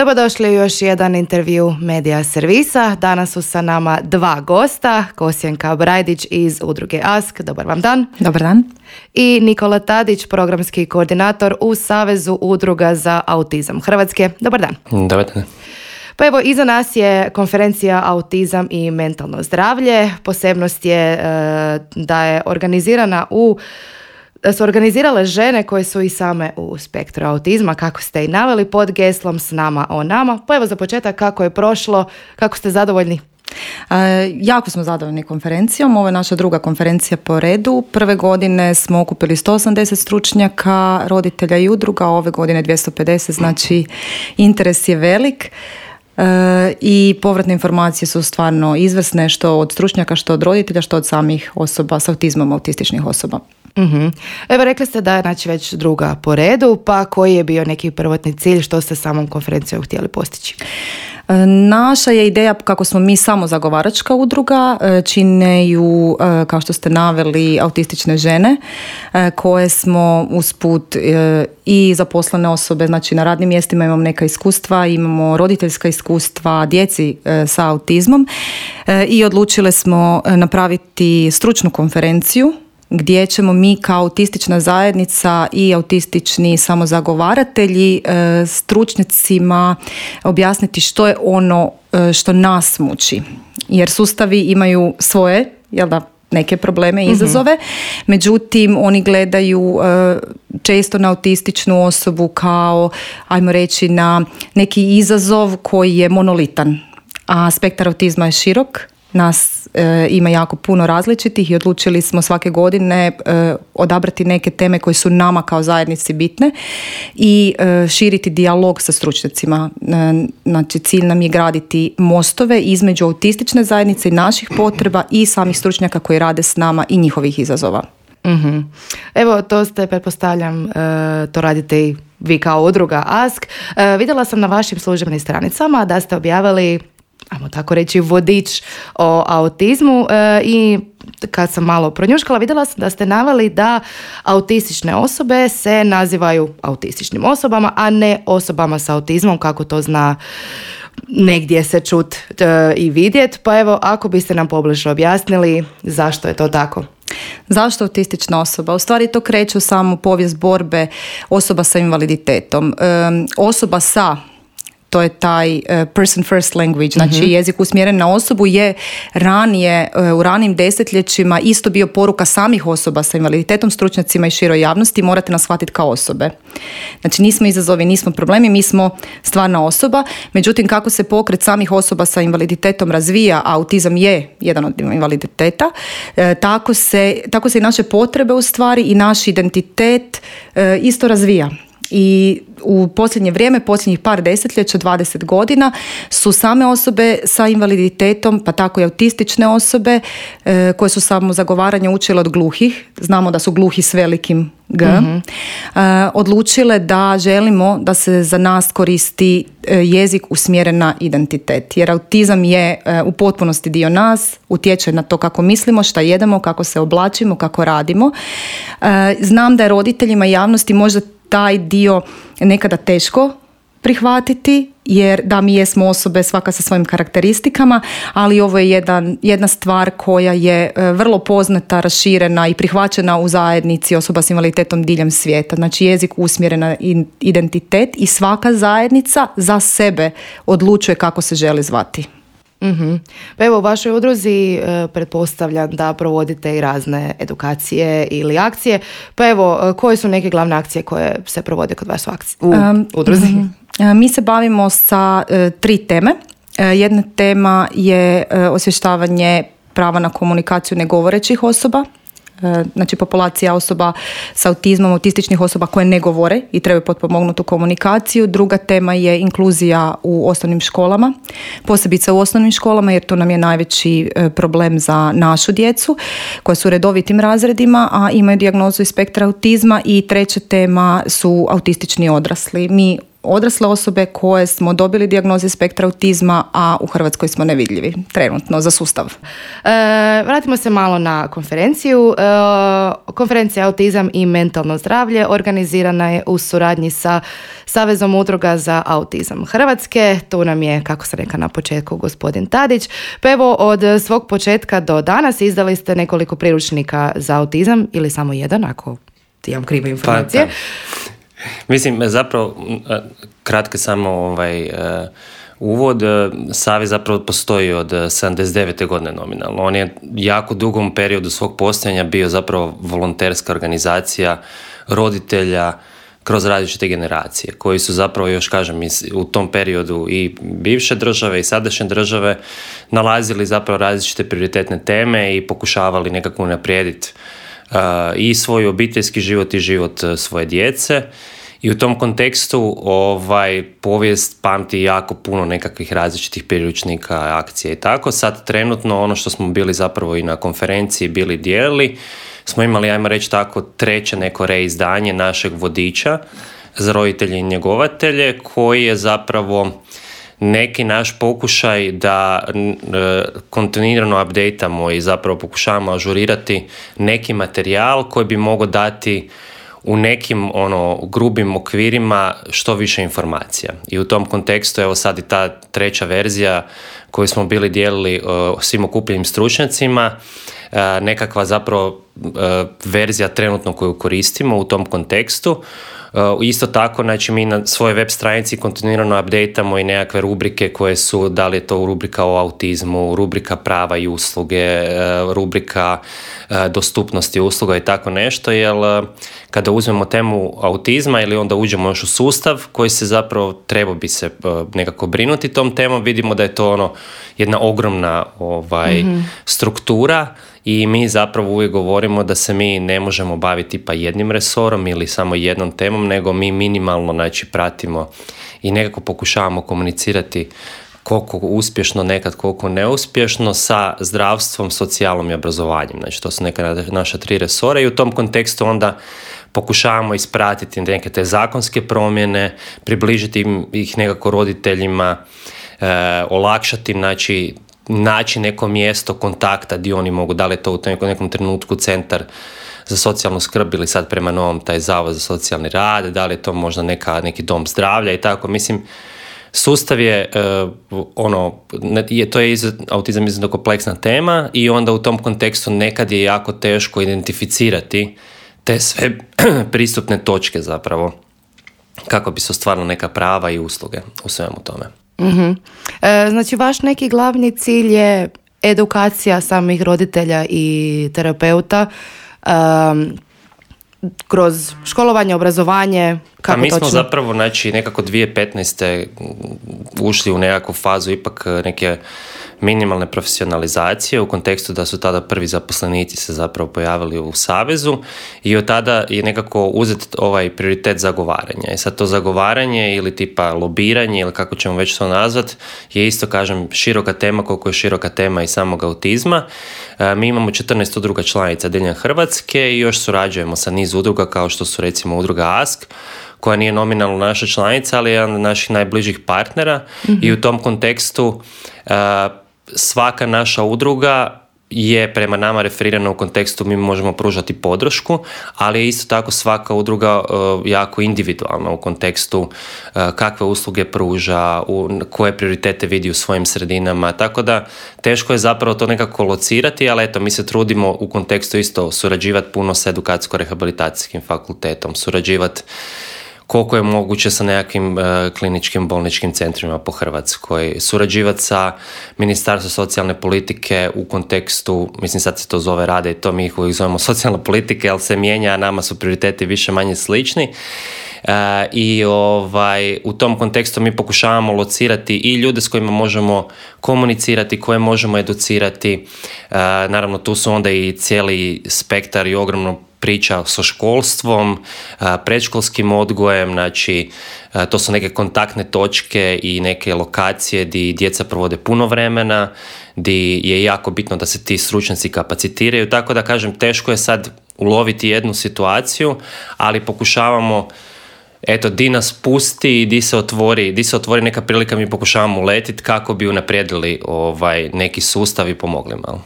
Dobrodošli u još jedan intervju Medija servisa. Danas su sa nama dva gosta, Kosjenka Brajdić iz udruge ASK. Dobar vam dan. Dobar dan. I Nikola Tadić, programski koordinator u Savezu udruga za autizam Hrvatske. Dobar dan. Dobar dan. Pa evo, iza nas je konferencija Autizam i mentalno zdravlje. Posebnost je da su organizirale žene koje su i same u spektru autizma, kako ste i naveli, pod geslom S nama o nama. Pa evo, za početak, kako je prošlo, kako ste zadovoljni? Jako smo zadovoljni konferencijom. Ovo je naša druga konferencija po redu. Prve godine smo okupili 180 stručnjaka, roditelja i udruga, ove godine 250, znači interes je velik. I povratne informacije su stvarno izvrsne, što od stručnjaka, što od roditelja, što od samih osoba s autizmom, autističnih osoba. Mm-hmm. Evo, rekli ste da je znači već druga po redu, pa koji je bio neki prvotni cilj, što ste samom konferencijom htjeli postići? Naša je ideja, kako smo mi samo zagovaračka udruga, čine ju, kao što ste naveli, autistične žene koje smo usput i zaposlene osobe, znači na radnim mjestima imamo neka iskustva, imamo roditeljska iskustva djeci sa autizmom i odlučile smo napraviti stručnu konferenciju gdje ćemo mi kao autistična zajednica i autistični samozagovaratelji stručnjacima objasniti što je ono što nas muči. Jer sustavi imaju svoje, neke probleme i izazove, međutim oni gledaju često na autističnu osobu kao, ajmo reći, na neki izazov koji je monolitan. A spektar autizma je širok. Nas ima jako puno različitih i odlučili smo svake godine odabrati neke teme koje su nama kao zajednici bitne i širiti dijalog sa stručnjacima. Znači, cilj nam je graditi mostove između autistične zajednice i naših potreba i samih stručnjaka koji rade s nama i njihovih izazova. Mm-hmm. Evo, to ste, pretpostavljam, to radite i vi kao udruga ASK. Vidjela sam na vašim službenim stranicama da ste objavili, ajmo tako reći, vodič o autizmu i kad sam malo pronjuškala, vidjela sam da ste naveli da autistične osobe se nazivaju autističnim osobama, a ne osobama sa autizmom, kako to zna negdje se čut i vidjet. Pa evo, ako biste nam pobliže objasnili zašto je to tako. Zašto autistična osoba? U stvari to kreće u samu povijest borbe osoba sa invaliditetom. Osoba sa, to je taj person first language, znači jezik usmjeren na osobu, je ranije, u ranijim desetljećima isto bio poruka samih osoba sa invaliditetom, stručnjacima i široj javnosti: morate nas shvatiti kao osobe. Znači, nismo izazovi, nismo problemi, mi smo stvarna osoba. Međutim, kako se pokret samih osoba sa invaliditetom razvija, a autizam je jedan od invaliditeta, tako se i naše potrebe u stvari i naš identitet isto razvija. I u posljednje vrijeme, posljednjih par desetljeća, 20 godina, su same osobe sa invaliditetom, pa tako i autistične osobe, koje su samo zagovaranje učile od gluhih, znamo da su gluhi s velikim G, odlučile da želimo da se za nas koristi jezik usmjeren na identitet. Jer autizam je u potpunosti dio nas, utječe na to kako mislimo, šta jedemo, kako se oblačimo, kako radimo. Znam da je roditeljima i javnosti možda taj dio nekada teško prihvatiti, jer da, mi jesmo osobe svaka sa svojim karakteristikama, ali ovo je jedna stvar koja je vrlo poznata, raširena i prihvaćena u zajednici osoba s invaliditetom diljem svijeta. Znači, jezik usmjeren na identitet i svaka zajednica za sebe odlučuje kako se želi zvati. Mm-hmm. Pa evo, u vašoj udruzi pretpostavljam da provodite i razne edukacije ili akcije. Pa evo, koje su neke glavne akcije koje se provode kod vas u udruzi? Mi se bavimo sa 3 teme. Jedna tema je osvještavanje prava na komunikaciju negovorećih osoba. Znači, populacija osoba sa autizmom, autističnih osoba koje ne govore i trebaju potpomognutu komunikaciju. Druga tema je inkluzija u osnovnim školama, posebice u osnovnim školama, jer to nam je najveći problem za našu djecu koja su u redovitim razredima, a imaju dijagnozu iz spektra autizma. I treća tema su autistični odrasli. Mi odrasle osobe koje smo dobili dijagnoze spektra autizma, a u Hrvatskoj smo nevidljivi trenutno za sustav. Vratimo se malo na konferenciju. Konferencija Autizam i mentalno zdravlje organizirana je u suradnji sa Savezom udruga za autizam Hrvatske. Tu nam je, kako se reka na početku, gospodin Tadić. Pa evo, od svog početka do danas izdali ste nekoliko priručnika za autizam, ili samo jedan, ako imam krive informacije. Pa, mislim, zapravo, kratke samo uvod. Savez zapravo postoji od 79. godine nominalno. On je jako dugom periodu svog postojanja bio zapravo volonterska organizacija roditelja kroz različite generacije, koji su zapravo, još kažem, u tom periodu i bivše države i sadašnje države nalazili zapravo različite prioritetne teme i pokušavali nekako unaprijediti i svoj obiteljski život i život svoje djece. I u tom kontekstu povijest pamti jako puno nekakvih različitih priručnika, akcija i tako. Sad trenutno ono što smo bili zapravo i na konferenciji bili dijelili, smo imali, ajmo reći tako, treće neko reizdanje našeg vodiča za roditelje i njegovatelje, koji je zapravo neki naš pokušaj da kontinuirano updateamo i zapravo pokušavamo ažurirati neki materijal koji bi mogao dati u nekim grubim okvirima što više informacija. I u tom kontekstu, evo sad i ta treća verzija koju smo bili dijelili svim okupljenim stručnjacima, nekakva zapravo verzija trenutno koju koristimo u tom kontekstu. Isto tako, znači, mi na svojoj web stranici kontinuirano updateamo i nekakve rubrike koje su, da li je to rubrika o autizmu, rubrika prava i usluge, rubrika dostupnosti usluga i tako nešto, jer kada uzmemo temu autizma ili onda uđemo još u sustav koji se zapravo trebao bi se nekako brinuti tom temom, vidimo da je to jedna ogromna struktura. I mi zapravo uvijek govorimo da se mi ne možemo baviti pa jednim resorom ili samo jednom temom, nego mi minimalno, znači, pratimo i nekako pokušavamo komunicirati koliko uspješno, nekad koliko neuspješno, sa zdravstvom, socijalom i obrazovanjem. Znači, to su neka naša 3 resora i u tom kontekstu onda pokušavamo ispratiti neke te zakonske promjene, približiti ih nekako roditeljima, olakšati, znači, naći neko mjesto kontakta gdje oni mogu, da li je to u nekom trenutku centar za socijalnu skrb ili sad prema novom taj zavod za socijalni rad, da li je to možda neki dom zdravlja i tako. Mislim, sustav je to je autizam izuzetno kompleksna tema i onda u tom kontekstu nekad je jako teško identificirati te sve pristupne točke zapravo kako bi se ostvarila neka prava i usluge u svemu tome. Mm-hmm. Znači, vaš neki glavni cilj je edukacija samih roditelja i terapeuta kroz školovanje, obrazovanje, kako mi točno? Smo zapravo, znači, nekako 2015. ušli u nekakvu fazu ipak neke minimalne profesionalizacije u kontekstu da su tada prvi zaposlenici se zapravo pojavili u Savezu i od tada je nekako uzet ovaj prioritet zagovaranja. I sad to zagovaranje ili tipa lobiranje ili kako ćemo već to nazvat je isto, kažem, široka tema koliko je široka tema i samog autizma. Mi imamo 14 udruga članica diljem Hrvatske i još surađujemo sa niz udruga kao što su recimo udruga ASK, koja nije nominalno naša članica, ali je jedan od naših najbližih partnera. Mm-hmm. I u tom kontekstu svaka naša udruga je prema nama referirana u kontekstu mi možemo pružati podršku, ali je isto tako svaka udruga jako individualna u kontekstu kakve usluge pruža, koje prioritete vidi u svojim sredinama, tako da teško je zapravo to nekako locirati, ali eto, mi se trudimo u kontekstu isto surađivati puno sa edukacijsko-rehabilitacijskim fakultetom, surađivati koliko je moguće sa nekakvim kliničkim bolničkim centrima po Hrvatskoj, surađivati sa Ministarstvom socijalne politike u kontekstu, mislim sad se to zove rade i to mi ih uvijek zovemo socijalna politika, ali se mijenja, a nama su prioriteti više manje slični. I u tom kontekstu mi pokušavamo locirati i ljude s kojima možemo komunicirati, koje možemo educirati. Naravno, tu su onda i cijeli spektar i ogromno priča sa školstvom, predškolskim odgojem, znači to su neke kontaktne točke i neke lokacije gdje djeca provode puno vremena, gdje je jako bitno da se ti stručnjaci kapacitiraju, tako da kažem, teško je sad uloviti jednu situaciju, ali pokušavamo eto, di nas pusti i di se otvori neka prilika, mi pokušavamo uletiti kako bi unaprijedili neki sustav i pomogli malo.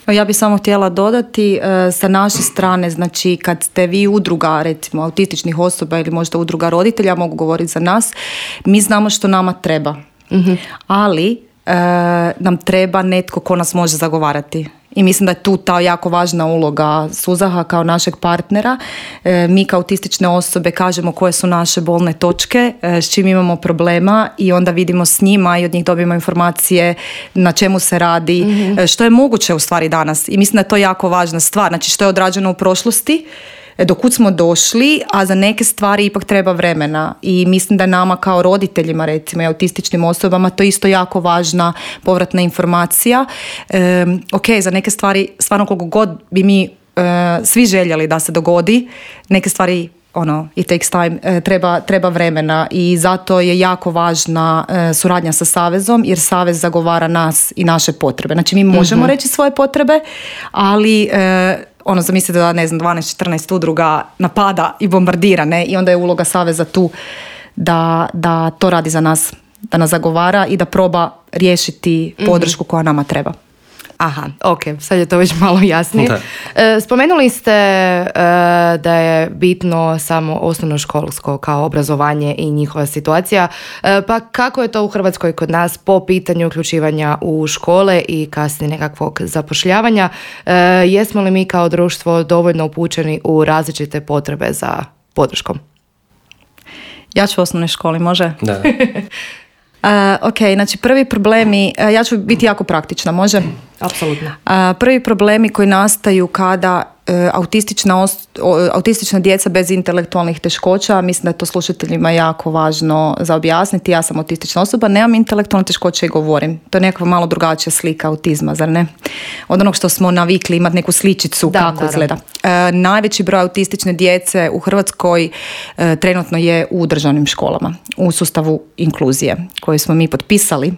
Ja bih samo htjela dodati sa naše strane, znači kad ste vi udruga recimo autističnih osoba ili možda udruga roditelja, mogu govoriti za nas, mi znamo što nama treba, ali nam treba netko ko nas može zagovarati. I mislim da je tu ta jako važna uloga Suzaha kao našeg partnera. Mi kao autistične osobe kažemo koje su naše bolne točke, s čim imamo problema i onda vidimo s njima i od njih dobijemo informacije na čemu se radi, što je moguće u stvari danas. I mislim da je to jako važna stvar. Znači što je odrađeno u prošlosti, do kud smo došli, a za neke stvari ipak treba vremena i mislim da nama kao roditeljima recimo i autističnim osobama to isto jako važna povratna informacija. Ok, za neke stvari stvarno koliko god bi mi svi željeli da se dogodi, neke stvari it takes time, treba vremena i zato je jako važna suradnja sa Savezom jer Savez zagovara nas i naše potrebe. Znači mi možemo reći svoje potrebe, ali zamislite da 12-14 udruga napada i bombardira, ne? I onda je uloga Saveza tu da to radi za nas, da nas zagovara i da proba riješiti podršku koja nama treba. Aha, ok, sad je to već malo jasnije. Spomenuli ste da je bitno samo osnovnoškolsko kao obrazovanje i njihova situacija, pa kako je to u Hrvatskoj kod nas po pitanju uključivanja u škole i kasnije nekakvog zapošljavanja? Jesmo li mi kao društvo dovoljno upućeni u različite potrebe za podrškom? Ja ću u osnovnoj školi, može? Da. Ok, znači prvi problemi, ja ću biti jako praktična, može? Apsolutno. Prvi problemi koji nastaju kada autistična djeca bez intelektualnih teškoća, mislim da je to slušateljima jako važno za objasniti. Ja sam autistična osoba, nemam intelektualne teškoće i govorim. To je nekakva malo drugačija slika autizma, zar ne? Od onog što smo navikli imati neku sličicu kako izgleda. Najveći broj autistične djece u Hrvatskoj trenutno je u državnim školama, u sustavu inkluzije koji smo mi potpisali,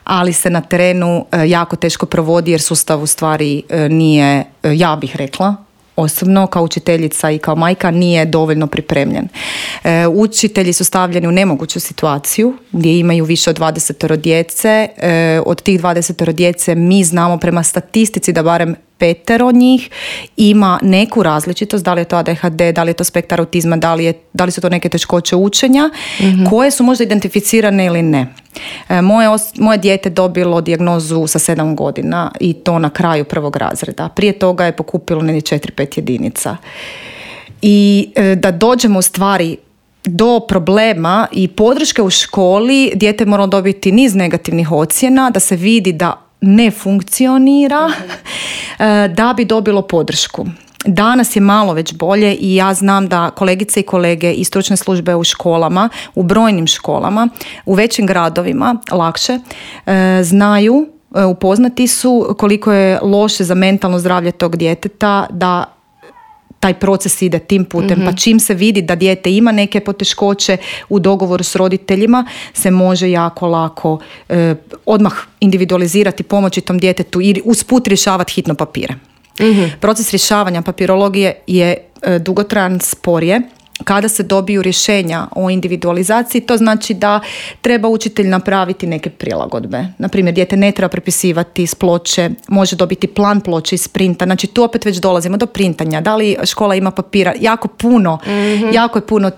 ali se na terenu jako teško provodi jer sustav u stvari nije, ja bih rekla, osobno kao učiteljica i kao majka nije dovoljno pripremljen. Učitelji su stavljeni u nemoguću situaciju gdje imaju više od 20 djece. Od tih 20 djece mi znamo prema statistici da barem 5 njih ima neku različitost, da li je to ADHD, da li je to spektar autizma, da li su to neke teškoće učenja, koje su možda identificirane ili ne. Moje dijete dobilo dijagnozu sa 7 godina i to na kraju 1. razreda. Prije toga je pokupilo 4-5 jedinica. I da dođemo u stvari do problema i podrške u školi, dijete mora dobiti niz negativnih ocjena, da se vidi da ne funkcionira, da bi dobilo podršku. Danas je malo već bolje i ja znam da kolegice i kolege i stručne službe u školama, u brojnim školama, u većim gradovima lakše znaju, upoznati su koliko je loše za mentalno zdravlje tog djeteta da taj proces ide tim putem, pa čim se vidi da dijete ima neke poteškoće u dogovoru s roditeljima, se može jako lako odmah individualizirati, pomoći tom djetetu i usput rješavati hitno papire. Proces rješavanja papirologije je dugotrajan, sporije. Kada se dobiju rješenja o individualizaciji, to znači da treba učitelj napraviti neke prilagodbe. Naprimjer, dijete ne treba prepisivati s ploče, može dobiti plan ploče iz printa. Znači tu opet već dolazimo do printanja. Da li škola ima papira? Jako je puno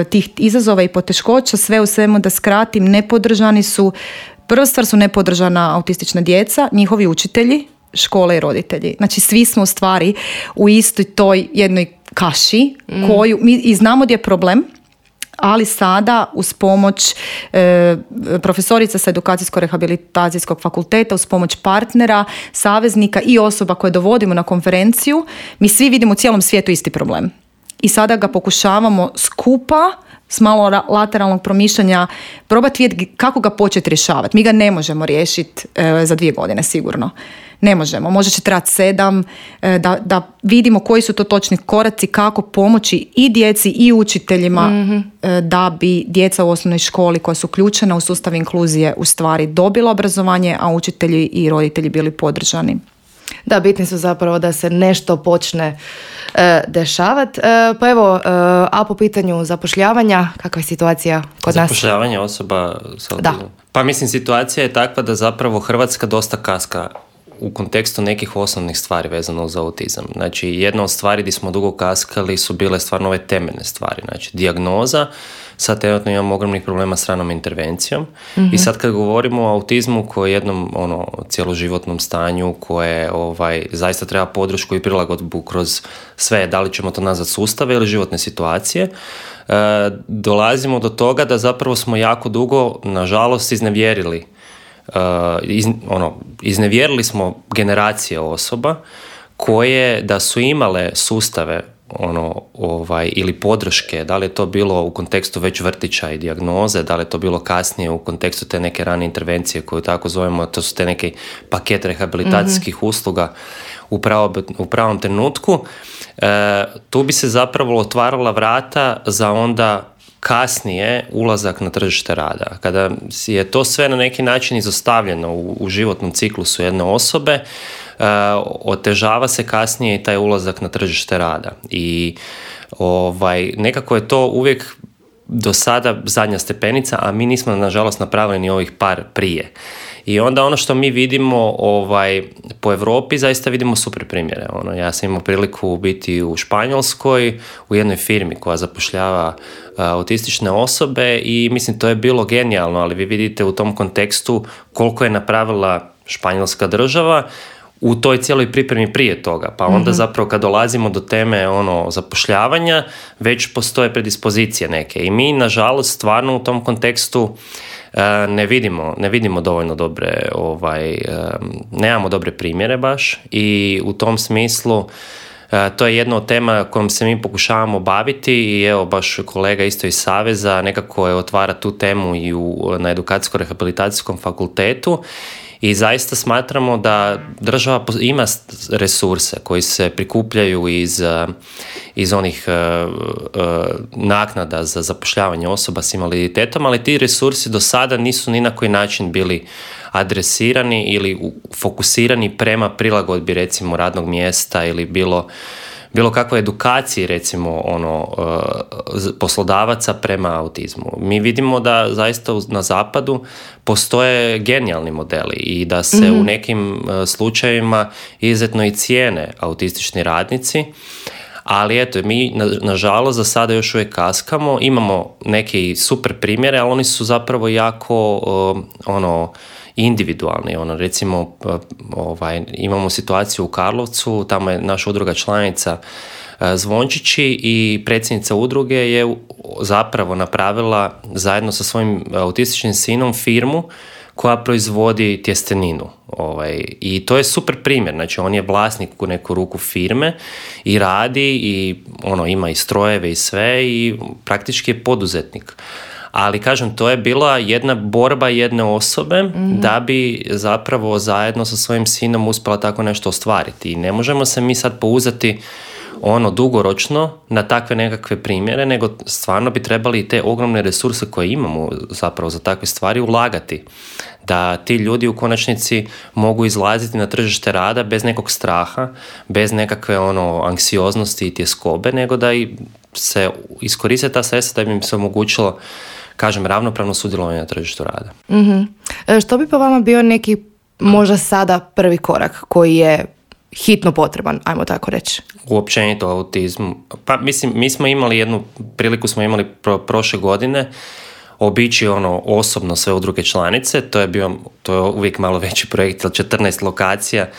tih izazova i poteškoća. Sve u svemu da skratim, nepodržani su, prva stvar su nepodržana autistična djeca, njihovi učitelji, škole i roditelji. Znači svi smo u stvari u istoj toj jednoj kaši koju mi i znamo gdje je problem, ali sada uz pomoć profesorica sa edukacijsko-rehabilitacijskog fakulteta, uz pomoć partnera, saveznika i osoba koje dovodimo na konferenciju, mi svi vidimo u cijelom svijetu isti problem. I sada ga pokušavamo skupa s malo lateralnog promišljanja probati vidjeti kako ga početi rješavati. Mi ga ne možemo riješiti za 2 godine sigurno. Ne možemo. Možda će trebati 7 da vidimo koji su to točni koraci, kako pomoći i djeci i učiteljima da bi djeca u osnovnoj školi koja su uključena u sustav inkluzije u stvari dobila obrazovanje, a učitelji i roditelji bili podržani. Da, bitni su zapravo da se nešto počne dešavati. Pa evo, a po pitanju zapošljavanja, kakva je situacija kod nas? Zapošljavanje osoba sa autizmom? Pa mislim, situacija je takva da zapravo Hrvatska dosta kaska u kontekstu nekih osnovnih stvari vezano za autizam. Znači, jedna od stvari gdje smo dugo kaskali su bile stvarno ove temeljne stvari. Znači, dijagnoza, sad trenutno imamo ogromnih problema s ranom intervencijom. I sad kad govorimo o autizmu koji je jednom cjeloživotnom stanju koje zaista treba podršku i prilagodbu kroz sve, da li ćemo to nazvati sustave ili životne situacije, dolazimo do toga da zapravo smo jako dugo, nažalost, iznevjerili smo generacije osoba koje da su imale sustave ili podrške, da li je to bilo u kontekstu već vrtića i dijagnoze, da li je to bilo kasnije u kontekstu te neke rane intervencije koju tako zovemo, to su te neki paket rehabilitacijskih usluga u pravom trenutku, tu bi se zapravo otvarala vrata za onda kasnije ulazak na tržište rada. Kada je to sve na neki način izostavljeno u životnom ciklusu jedne osobe, otežava se kasnije i taj ulazak na tržište rada. I nekako je to uvijek do sada zadnja stepenica, a mi nismo nažalost napravili ni ovih par prije. I onda ono što mi vidimo po Europi, zaista vidimo super primjere. Ja sam imao priliku biti u Španjolskoj, u jednoj firmi koja zapošljava autistične osobe i mislim to je bilo genijalno, ali vi vidite u tom kontekstu koliko je napravila Španjolska država u toj cijeloj pripremi prije toga. Pa onda zapravo kad dolazimo do teme zapošljavanja, već postoje predispozicije neke. I mi, nažalost, stvarno u tom kontekstu ne vidimo dovoljno dobre, nemamo dobre primjere baš i u tom smislu to je jedna od tema kojom se mi pokušavamo baviti i evo baš kolega isto iz Saveza nekako je otvara tu temu i na edukacijsko-rehabilitacijskom fakultetu i zaista smatramo da država ima resurse koji se prikupljaju iz onih naknada za zapošljavanje osoba s invaliditetom, ali ti resursi do sada nisu ni na koji način bili adresirani ili fokusirani prema prilagodbi recimo radnog mjesta ili bilo kakvoj edukaciji recimo poslodavaca prema autizmu. Mi vidimo da zaista na zapadu postoje genijalni modeli i da se u nekim slučajevima izuzetno i cijene autistični radnici, ali eto, mi nažalost za sada još uvijek kaskamo, imamo neke super primjere, ali oni su zapravo jako individualni. Recimo, imamo situaciju u Karlovcu, tamo je naša udruga članica Zvončići i predsjednica udruge je zapravo napravila zajedno sa svojim autističnim sinom firmu koja proizvodi tjesteninu. I to je super primjer. Znači, on je vlasnik u neku ruku firme i radi i ima i strojeve i sve i praktički je poduzetnik. Ali, kažem, to je bila jedna borba jedne osobe da bi zapravo zajedno sa svojim sinom uspjela tako nešto ostvariti. I ne možemo se mi sad pouzati dugoročno na takve nekakve primjere, nego stvarno bi trebali te ogromne resurse koje imamo zapravo za takve stvari ulagati. Da ti ljudi u konačnici mogu izlaziti na tržište rada bez nekog straha, bez nekakve anksioznosti i tjeskobe, nego da se iskoriste ta sredstva da bi im se omogućilo, kažem, ravnopravno sudjelovanje na tržištu rada. Što bi po vama bio neki možda sada prvi korak koji je hitno potreban, ajmo tako reći? Uopćenito autizmu. Pa mislim, mi smo imali jednu priliku, prošle godine obići osobno sve udruge članice, to je uvijek malo veći projekt, 14 lokacija,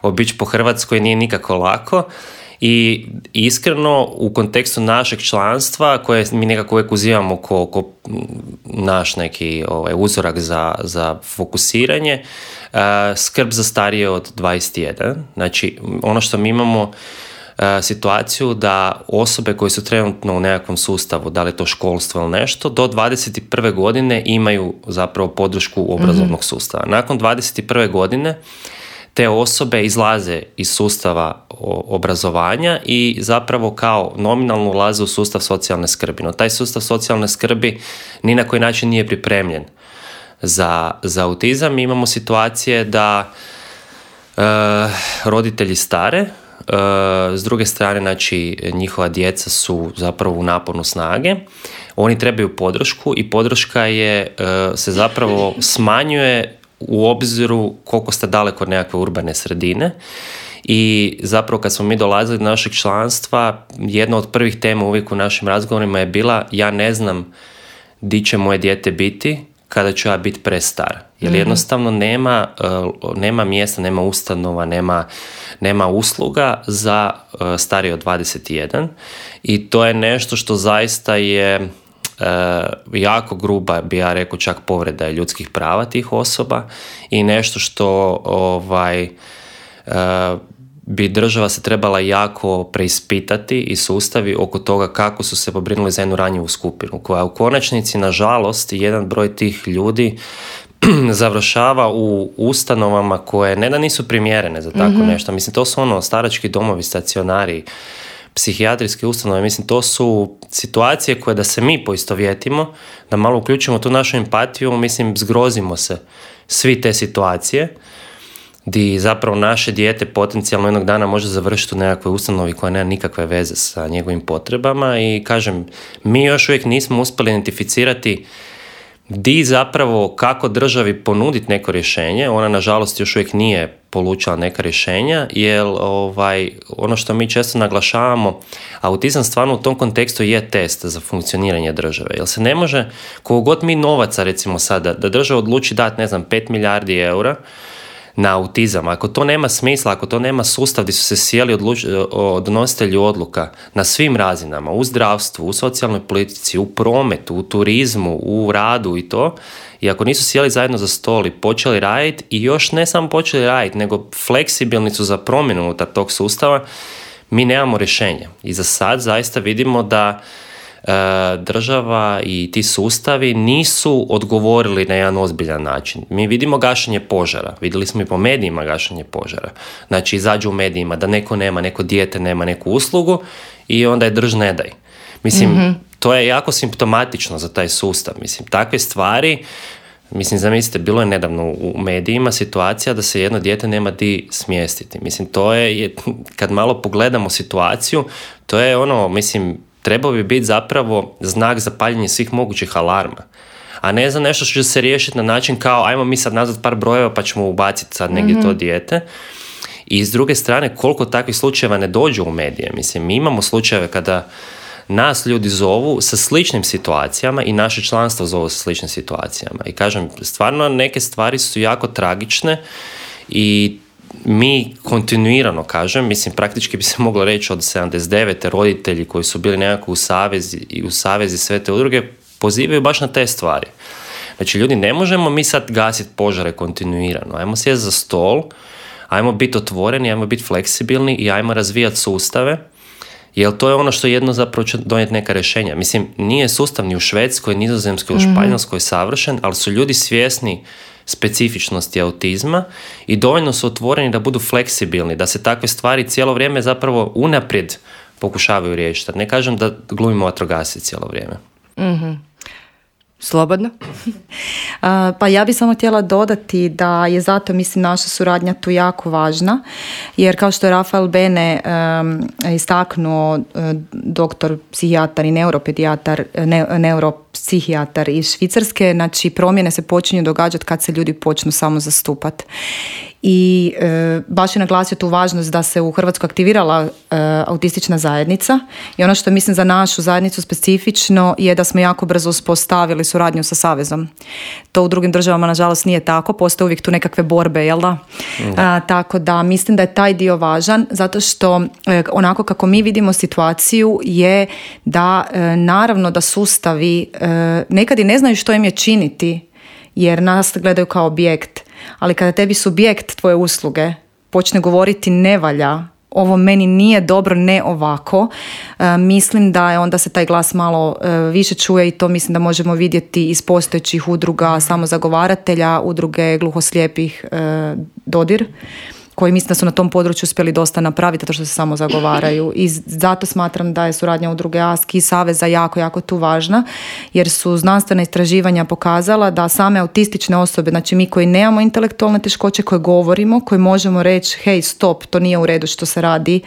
obići po Hrvatskoj nije nikako lako. I iskreno u kontekstu našeg članstva koje mi nekako uvijek uzimamo ko naš neki uzorak za fokusiranje, skrb za starije od 21. Znači ono što mi imamo situaciju da osobe koje su trenutno u nekakvom sustavu, da li je to školstvo ili nešto, do 21. godine imaju zapravo podršku obrazovnog sustava. Nakon 21. godine te osobe izlaze iz sustava obrazovanja i zapravo kao nominalno ulaze u sustav socijalne skrbi. No taj sustav socijalne skrbi ni na koji način nije pripremljen za autizam. Imamo situacije da roditelji stare, s druge strane, znači, njihova djeca su zapravo u naponu snage, oni trebaju podršku i podrška se zapravo smanjuje u obziru koliko ste daleko od nekakve urbane sredine. I zapravo kad smo mi dolazili do našeg članstva, jedna od prvih tema uvijek u našim razgovorima je bila: ja ne znam di će moje dijete biti kada ću ja biti prestar. Jer jednostavno nema mjesta, nema ustanova, nema usluga za starije od 21. I to je nešto što zaista je jako gruba, bi ja rekao, čak povreda ljudskih prava tih osoba i nešto što bi država se trebala jako preispitati i sustavi oko toga kako su se pobrinuli za jednu ranjivu skupinu, koja u konačnici, nažalost, jedan broj tih ljudi završava u ustanovama koje ne da nisu primjerene za tako nešto. Mislim, to su starački domovi, stacionari, psihijatrijske ustanove. Mislim, to su situacije koje da se mi poistovjetimo, da malo uključimo tu našu empatiju, mislim, zgrozimo se svi te situacije di zapravo naše dijete potencijalno jednog dana može završiti u nekakvoj ustanovi koja nema nikakve veze sa njegovim potrebama. I kažem, mi još uvijek nismo uspjeli identificirati di zapravo kako državi ponuditi neko rješenje. Ona nažalost još uvijek nije polučila neka rješenja, jer ono što mi često naglašavamo, autizam stvarno u tom kontekstu je test za funkcioniranje države. Jer se ne može, koliko god mi novaca, recimo sada, da država odluči dati, 5 milijardi eura na autizam, ako to nema smisla, ako to nema sustav gdje su se sjeli donositelji odluka na svim razinama, u zdravstvu, u socijalnoj politici, u prometu, u turizmu, u radu i to, i ako nisu sjeli zajedno za stol i počeli raditi, i još ne samo počeli raditi, nego fleksibilni su za promjenu unutar tog sustava, mi nemamo rješenja. I za sad zaista vidimo da država i ti sustavi nisu odgovorili na jedan ozbiljan način. Mi vidimo gašenje požara, vidjeli smo i po medijima gašenje požara. Znači, izađu u medijima da neko nema, neko dijete nema neku uslugu i onda je drž ne daj. Mislim, to je jako simptomatično za taj sustav. Mislim, takve stvari, zamislite, bilo je nedavno u medijima situacija da se jedno dijete nema di smjestiti. Mislim, to je, kad malo pogledamo situaciju, to je trebao bi biti zapravo znak za paljenje svih mogućih alarma. A ne za nešto što će se riješiti na način kao ajmo mi sad nazvat par brojeva pa ćemo ubaciti sad negdje to dijete. I s druge strane, koliko takvih slučajeva ne dođu u medije. Mislim, mi imamo slučajeve kada nas ljudi zovu sa sličnim situacijama i naše članstvo zovu sa sličnim situacijama. I kažem, stvarno neke stvari su jako tragične i mi kontinuirano, praktički bi se moglo reći od 79. roditelji koji su bili nekako u savezi sve te udruge pozivaju baš na te stvari. Znači, ljudi, ne možemo mi sad gasiti požare kontinuirano. Ajmo sjesti za stol, ajmo biti otvoreni, ajmo biti fleksibilni i ajmo razvijati sustave, jer to je ono što jedno zapravo će donijeti neka rješenja. Mislim, nije sustav ni u Švedskoj, Nizozemskoj, u Španjolskoj savršen, ali su ljudi svjesni specifičnosti autizma i dovoljno su otvoreni da budu fleksibilni, da se takve stvari cijelo vrijeme zapravo unaprijed pokušavaju riješiti. Ne kažem da glumimo vatrogasce cijelo vrijeme. Slobodno. Pa ja bih samo htjela dodati da je zato, naša suradnja tu jako važna, jer kao što je Rafael Bene istaknuo, doktor psihijatar i neuropsihijatar iz Švicarske, znači promjene se počinju događati kad se ljudi počnu samo zastupati. I baš je naglasio tu važnost da se u Hrvatskoj aktivirala autistična zajednica i ono što mislim za našu zajednicu specifično je da smo jako brzo uspostavili suradnju sa Savezom. To u drugim državama nažalost nije tako, postoje uvijek tu nekakve borbe, jel da? Tako da mislim da je taj dio važan, zato što onako kako mi vidimo situaciju je da naravno da sustavi nekad i ne znaju što im je činiti, jer nas gledaju kao objekt. Ali kada tebi subjekt tvoje usluge počne govoriti ne valja, ovo meni nije dobro, ne ovako, mislim da je onda se taj glas malo više čuje i to mislim da možemo vidjeti iz postojećih udruga samozagovaratelja, udruge gluhoslijepih Dodir, koji mislim da su na tom području uspjeli dosta napraviti, to što se samo zagovaraju. I zato smatram da je suradnja udruge ASK i Saveza jako, jako tu važna, jer su znanstvena istraživanja pokazala da same autistične osobe, znači mi koji nemamo intelektualne teškoće, koje govorimo, koji možemo reći hej stop, to nije u redu što se radi,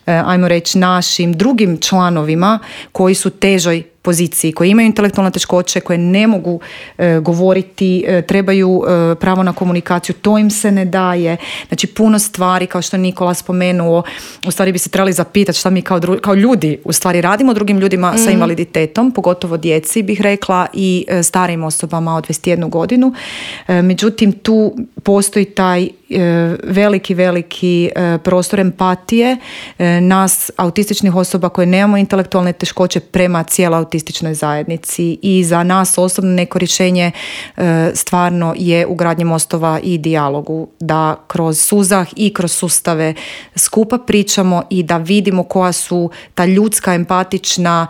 ajmo reći našim drugim članovima koji su težoj poziciji, koji imaju intelektualne teškoće, koje ne mogu govoriti, trebaju pravo na komunikaciju, to im se ne daje. Znači puno stvari, kao što je Nikola spomenuo, u stvari bi se trebali zapitati šta mi kao ljudi u stvari radimo drugim ljudima sa invaliditetom, pogotovo djeci bih rekla i starijim osobama od 21 godinu. Međutim, tu postoji taj veliki prostor empatije nas autističnih osoba koje nemamo intelektualne teškoće prema cijeloj autističnoj zajednici, i za nas osobno neko rješenje stvarno je ugradnje mostova i dijalogu, da kroz suzah i kroz sustave skupa pričamo i da vidimo koja su ta ljudska, empatična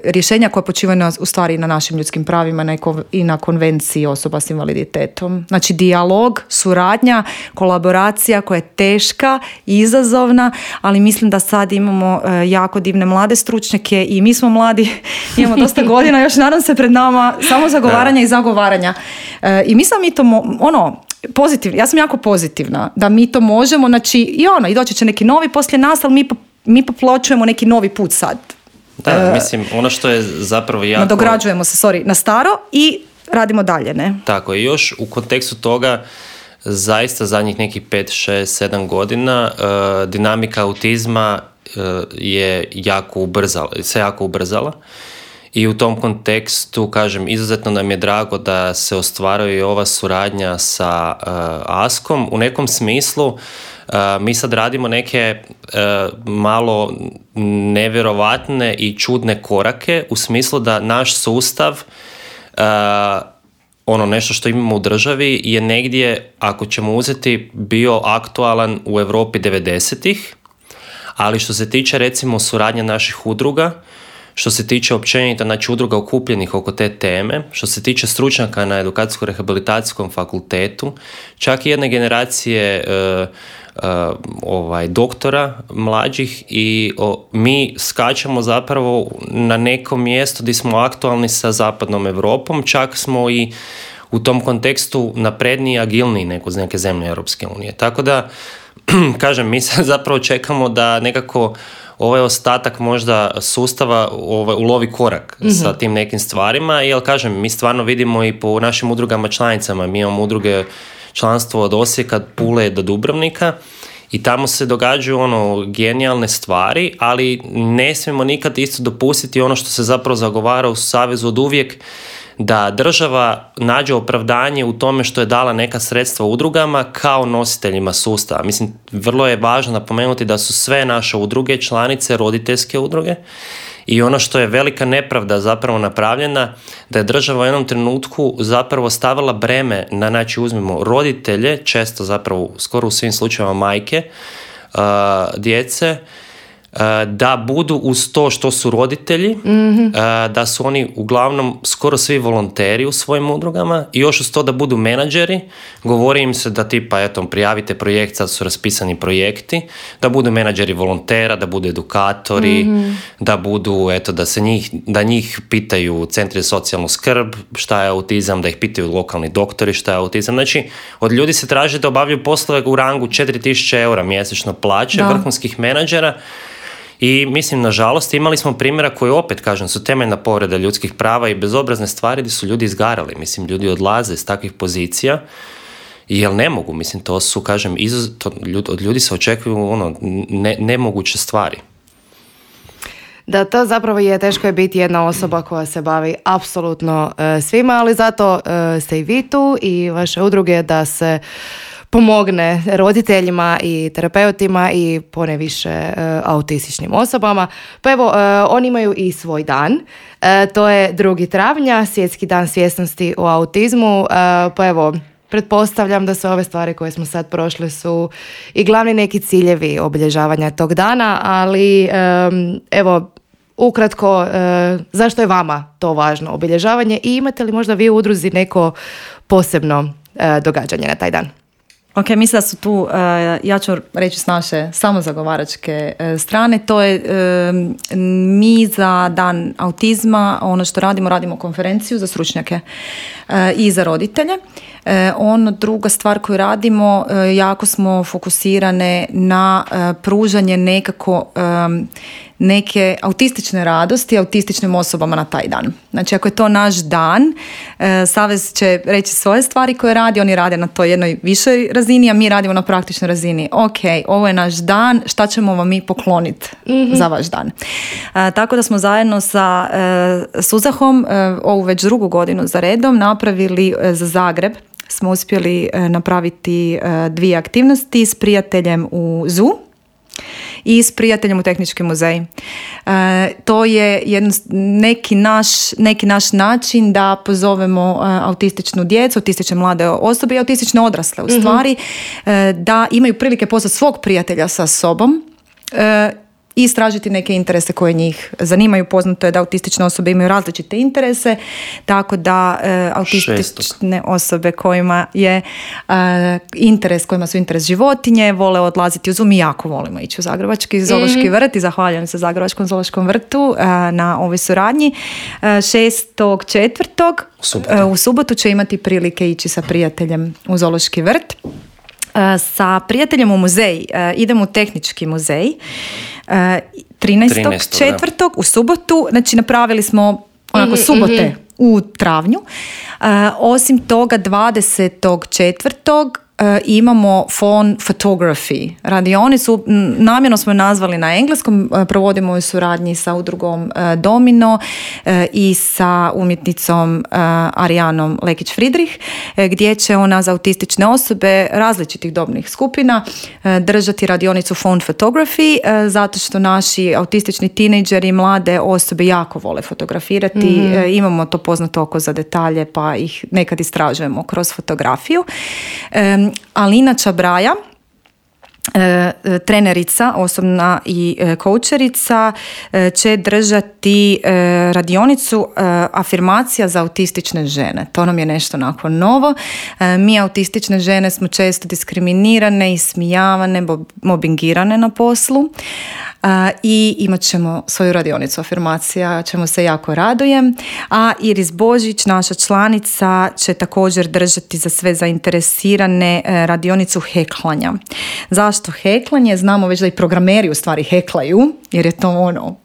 rješenja koja počivaju u stvari na našim ljudskim pravima i na konvenciji osoba s invaliditetom. Znači dijalog, suradnja, kolaboracija koja je teška i izazovna, ali mislim da sad imamo jako divne mlade stručnjake i mi smo mladi, imamo dosta godina, još nadam se pred nama samo zagovaranja i zagovaranja. I mislim mi to pozitivno, ja sam jako pozitivna da mi to možemo, znači i doći će neki novi poslije nas, ali mi popločujemo neki novi put sad. Da, mislim, ono što je zapravo jako... Nadograđujemo se, na staro i radimo dalje, ne? Tako, i još u kontekstu toga, zaista zadnjih nekih 5, 6, 7 godina dinamika autizma je se jako ubrzala i u tom kontekstu, kažem, izuzetno nam je drago da se ostvaruje i ova suradnja sa ASK-om. U nekom smislu mi sad radimo neke malo nevjerovatne i čudne korake u smislu da naš sustav nešto što imamo u državi je negdje, ako ćemo uzeti, bio aktualan u Europi 90-ih, ali što se tiče recimo suradnje naših udruga, što se tiče općenito, znači udruga okupljenih oko te teme, što se tiče stručnjaka na edukacijsko-rehabilitacijskom fakultetu, čak i jedne generacije doktora mlađih, i mi skačemo zapravo na neko mjesto gdje smo aktualni sa zapadnom Europom, čak smo i u tom kontekstu napredniji i agilniji nego neke zemlje Europske unije. Tako da, kažem, mi se zapravo čekamo da nekako ovaj ostatak možda sustava ulovi korak sa tim nekim stvarima, jer kažem, mi stvarno vidimo i po našim udrugama članicama, mi imamo udruge članstvo od Osijeka, Pule do Dubrovnika, i tamo se događaju genijalne stvari, ali ne smijemo nikad isto dopustiti ono što se zapravo zagovara u Savezu od uvijek, da država nađe opravdanje u tome što je dala neka sredstva udrugama kao nositeljima sustava. Mislim, vrlo je važno napomenuti da su sve naše udruge članice roditeljske udruge, i ono što je velika nepravda zapravo napravljena, da je država u jednom trenutku zapravo stavila breme na, znači uzmimo roditelje, često zapravo skoro u svim slučajevima majke, djece, da budu uz to što su roditelji, da su oni uglavnom skoro svi volonteri u svojim udrugama, i još uz to da budu menadžeri. Govori im se da tipa, prijavite projekt, sad su raspisani projekti, da budu menadžeri volontera, da budu edukatori, da budu, da njih pitaju centri za socijalnu skrb šta je autizam, da ih pitaju lokalni doktori šta je autizam. Znači, od ljudi se traži da obavljaju poslove u rangu 4.000 eura mjesečno plaće, vrhunskih menadžera. I mislim, nažalost, imali smo primjera koji opet, kažem, su temeljna povreda ljudskih prava i bezobrazne stvari gdje su ljudi izgarali. Mislim, ljudi odlaze iz takvih pozicija jer ne mogu. Mislim, to su, kažem, od ljudi se očekuju nemoguće stvari. Da, to zapravo je teško je biti jedna osoba koja se bavi apsolutno svima, ali zato ste i vi tu i vaše udruge da se pomogne roditeljima i terapeutima i poneviše autističnim osobama. Pa evo, oni imaju i svoj dan. To je 2. travnja, Svjetski dan svjesnosti o autizmu. Pa evo, pretpostavljam da sve ove stvari koje smo sad prošle su i glavni neki ciljevi obilježavanja tog dana, ali evo, ukratko, zašto je vama to važno obilježavanje i imate li možda vi u udruzi neko posebno događanje na taj dan? Ok, mislim da su tu, ja ću reći s naše samozagovaračke strane, to je mi za Dan autizma, ono što radimo konferenciju za stručnjake i za roditelje. Druga stvar koju radimo, jako smo fokusirane na pružanje neke autistične radosti autističnim osobama na taj dan. Znači, ako je to naš dan, Savez će reći svoje stvari koje radi, oni rade na toj jednoj višoj razini, a mi radimo na praktičnoj razini. Ok, ovo je naš dan, šta ćemo vam mi pokloniti za vaš dan? Tako da smo zajedno sa Suzahom ovu već drugu godinu za redom napravili za Zagreb. Smo uspjeli napraviti 2 aktivnosti s prijateljem u ZU i s prijateljem u Tehnički muzej. To je neki naš način da pozovemo autističnu djecu, autistične mlade osobe i autistične odrasle u stvari, da imaju prilike pozvati svog prijatelja sa sobom i istražiti neke interese koje njih zanimaju. Poznato je da autistične osobe imaju različite interese, tako da autistične osobe kojima je kojima su interes životinje, vole odlaziti u ZU. Mi jako volimo ići u Zagrebački zoološki vrt i zahvaljujem se Zagrebačkom zoološkom vrtu na ovoj suradnji. 6.4. u subotu će imati prilike ići sa prijateljem u zoološki vrt. Sa prijateljem u muzej idemo u Tehnički muzej 13.4. u subotu. Znači, napravili smo onako subote u travnju. Osim toga 20.4. imamo phone photography radionicu, namjerno smo nazvali na engleskom, provodimo u suradnji sa udrugom Domino i sa umjetnicom Arijanom Lekić-Fridrih, gdje će ona za autistične osobe različitih dobnih skupina držati radionicu phone photography, zato što naši autistični tinejdžeri i mlade osobe jako vole fotografirati. Imamo to poznato oko za detalje, pa ih nekad istražujemo kroz fotografiju. Alina Čabraja, trenerica osobna i koučerica, će držati radionicu afirmacija za autistične žene. To nam je nešto onako novo. Mi autistične žene smo često diskriminirane, ismijavane, mobingirane na poslu. I imat ćemo svoju radionicu afirmacija, čemu se jako radujem. A Iris Božić, naša članica, će također držati za sve zainteresirane radionicu heklanja. Zašto heklanje? Znamo već da i programeri u stvari heklaju, jer je to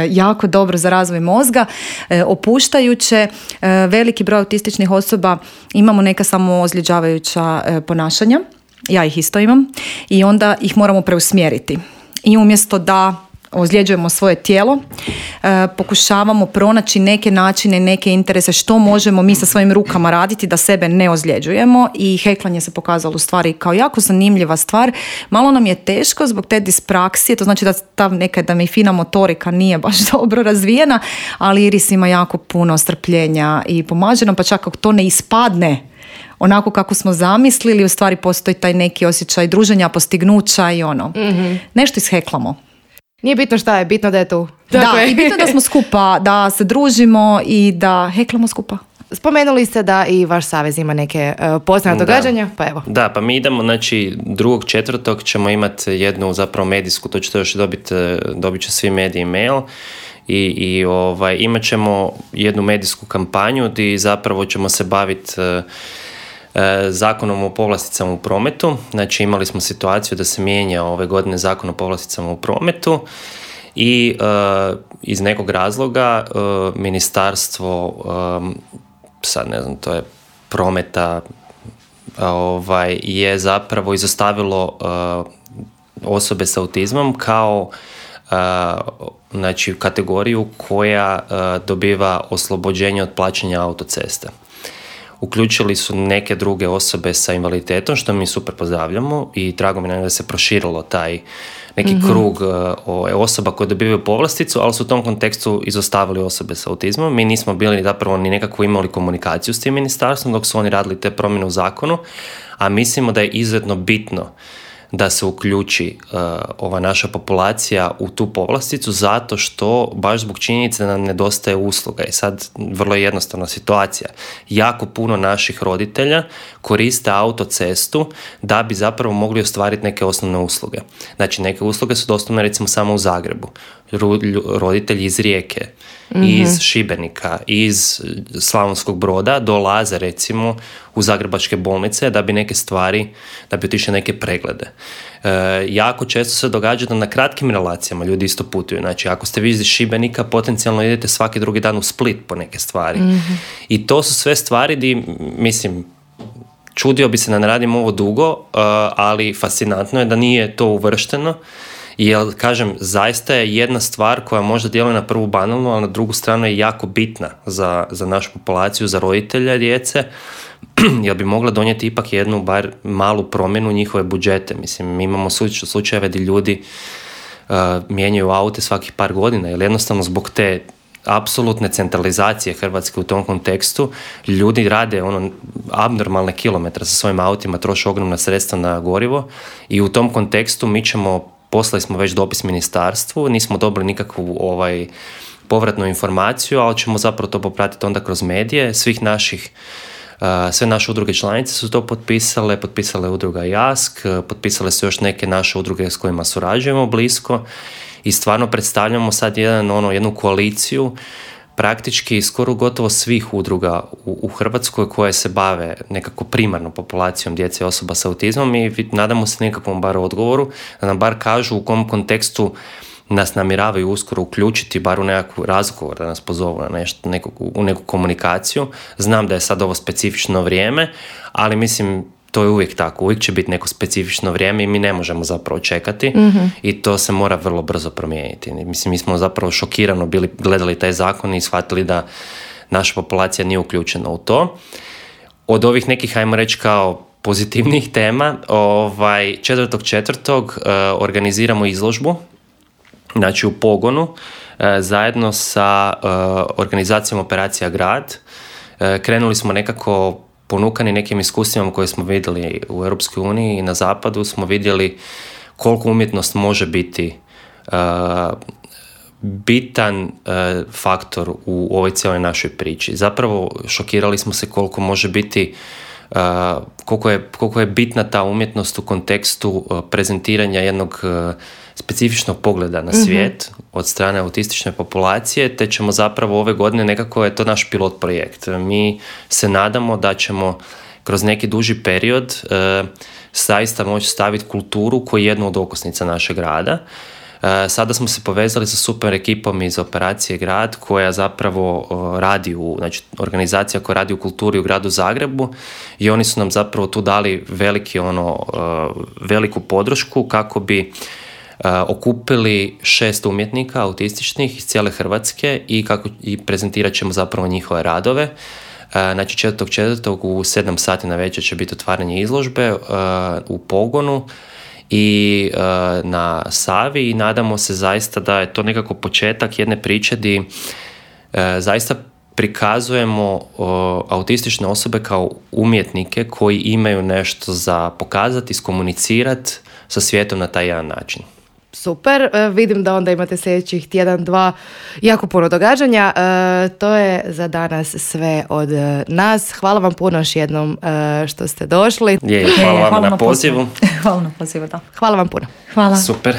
jako dobro za razvoj mozga, opuštajuće. Veliki broj autističnih osoba imamo neka samoozljeđavajuća ponašanja, ja ih isto imam, i onda ih moramo preusmjeriti. I umjesto da ozljeđujemo svoje tijelo, pokušavamo pronaći neke načine, neke interese što možemo mi sa svojim rukama raditi da sebe ne ozljeđujemo, i heklanje se pokazalo u stvari kao jako zanimljiva stvar. Malo nam je teško zbog te dispraksije, to znači da ta nekada mi fina motorika nije baš dobro razvijena, ali Iris ima jako puno strpljenja i pomaže nam, pa čak ako to ne ispadne onako kako smo zamislili, u stvari postoji taj neki osjećaj druženja, postignuća i nešto isheklamo. Nije bitno šta je, bitno da je tu. Da, i bitno da smo skupa, da se družimo i da heklamo skupa. Spomenuli ste da i vaš savez ima neke poznate događanja, pa evo. Da, pa mi idemo, znači 2.4. ćemo imati jednu zapravo medijsku, to ćete još dobit će svi mediji mail, i imat ćemo jednu medijsku kampanju gdje zapravo ćemo se baviti Zakonom o povlasticama u prometu. Znači, imali smo situaciju da se mijenja ove godine Zakon o povlasticama u prometu i iz nekog razloga ministarstvo, sad ne znam, to je prometa, je zapravo izostavilo osobe s autizmom kao znači kategoriju koja dobiva oslobođenje od plaćanja autoceste. Uključili su neke druge osobe sa invaliditetom, što mi super pozdravljamo, i drago mi je da se proširilo taj neki krug osoba koje dobivaju povlasticu, ali su u tom kontekstu izostavili osobe sa autizmom. Mi nismo bili zapravo ni nekako imali komunikaciju s tim ministarstvom dok su oni radili te promjene u zakonu, a mislimo da je izuzetno bitno da se uključi ova naša populacija u tu povlasticu, zato što baš zbog činjenice da nam nedostaje usluga. I sad vrlo je jednostavna situacija. Jako puno naših roditelja koriste autocestu da bi zapravo mogli ostvariti neke osnovne usluge. Znači, neke usluge su dostupne recimo samo u Zagrebu. Roditelji iz Rijeke, iz Šibenika, iz Slavonskog Broda dolaze recimo u zagrebačke bolnice da bi neke stvari, da bi otišli neke preglede. Jako često se događa da na kratkim relacijama ljudi isto putuju. Znači, ako ste vi iz Šibenika, potencijalno idete svaki drugi dan u Split po neke stvari. I to su sve stvari di, mislim, čudio bi se da ne radim ovo dugo, ali fascinantno je da nije to uvršteno. Jer, kažem, zaista je jedna stvar koja možda djeluje na prvu banalnu, ali na drugu stranu je jako bitna za našu populaciju, za roditelje djece, jer bi mogla donijeti ipak jednu, bar malu promjenu njihove budžete. Mislim, mi imamo slučajeve gdje ljudi mijenjaju aute svakih par godina, jer jednostavno zbog te apsolutne centralizacije Hrvatske u tom kontekstu, ljudi rade abnormalne kilometre sa svojim autima, troše ogromna sredstva na gorivo i u tom kontekstu poslali smo već dopis ministarstvu, nismo dobili nikakvu povratnu informaciju, ali ćemo zapravo to popratiti onda kroz medije. Sve naše udruge članice su to potpisale udruga JASK, potpisale su još neke naše udruge s kojima surađujemo blisko i stvarno predstavljamo sad jednu koaliciju praktički skoro gotovo svih udruga u Hrvatskoj koje se bave nekako primarno populacijom djece i osoba sa autizmom i nadamo se nekakvom bar odgovoru, da nam bar kažu u kom kontekstu nas namjeravaju uskoro uključiti, bar u nekakav razgovor, da nas pozovu na u neku komunikaciju. Znam da je sad ovo specifično vrijeme, ali mislim to je uvijek tako, uvijek će biti neko specifično vrijeme i mi ne možemo zapravo čekati i to se mora vrlo brzo promijeniti. Mislim, mi smo zapravo šokirano gledali taj zakon i shvatili da naša populacija nije uključena u to. Od ovih nekih, ajmo reći, kao pozitivnih tema, 4.4. Organiziramo izložbu, znači u Pogonu, zajedno sa organizacijom Operacija Grad. Krenuli smo nekako ponukani nekim iskustvima koje smo vidjeli u Europskoj uniji i na zapadu, smo vidjeli koliko umjetnost može biti bitan faktor u ovoj cijeloj našoj priči. Zapravo šokirali smo se koliko može biti, koliko je bitna ta umjetnost u kontekstu prezentiranja jednog specifičnog pogleda na svijet od strane autistične populacije, te ćemo zapravo ove godine, nekako je to naš pilot projekt. Mi se nadamo da ćemo kroz neki duži period zaista moći staviti kulturu koji je jednu od okosnica našeg rada. Sada smo se povezali sa super ekipom iz Operacije Grad koja zapravo radi znači organizacija koja radi u kulturi u gradu Zagrebu i oni su nam zapravo tu dali veliku podršku kako bi okupili 6 umjetnika autističnih iz cijele Hrvatske i prezentirat ćemo zapravo njihove radove. Znači 4.4. u 7 sati na večer će biti otvaranje izložbe u Pogonu i na Savi i nadamo se zaista da je to nekako početak jedne priče gdje zaista prikazujemo autistične osobe kao umjetnike koji imaju nešto za pokazati, iskomunicirati sa svijetom na taj jedan način. Super, vidim da onda imate sljedećih tjedan, dva jako puno događanja. To je za danas sve od nas. Hvala vam puno još jednom što ste došli. Hvala vam na pozivu. Hvala na pozivu, da. Hvala vam puno. Hvala. Super.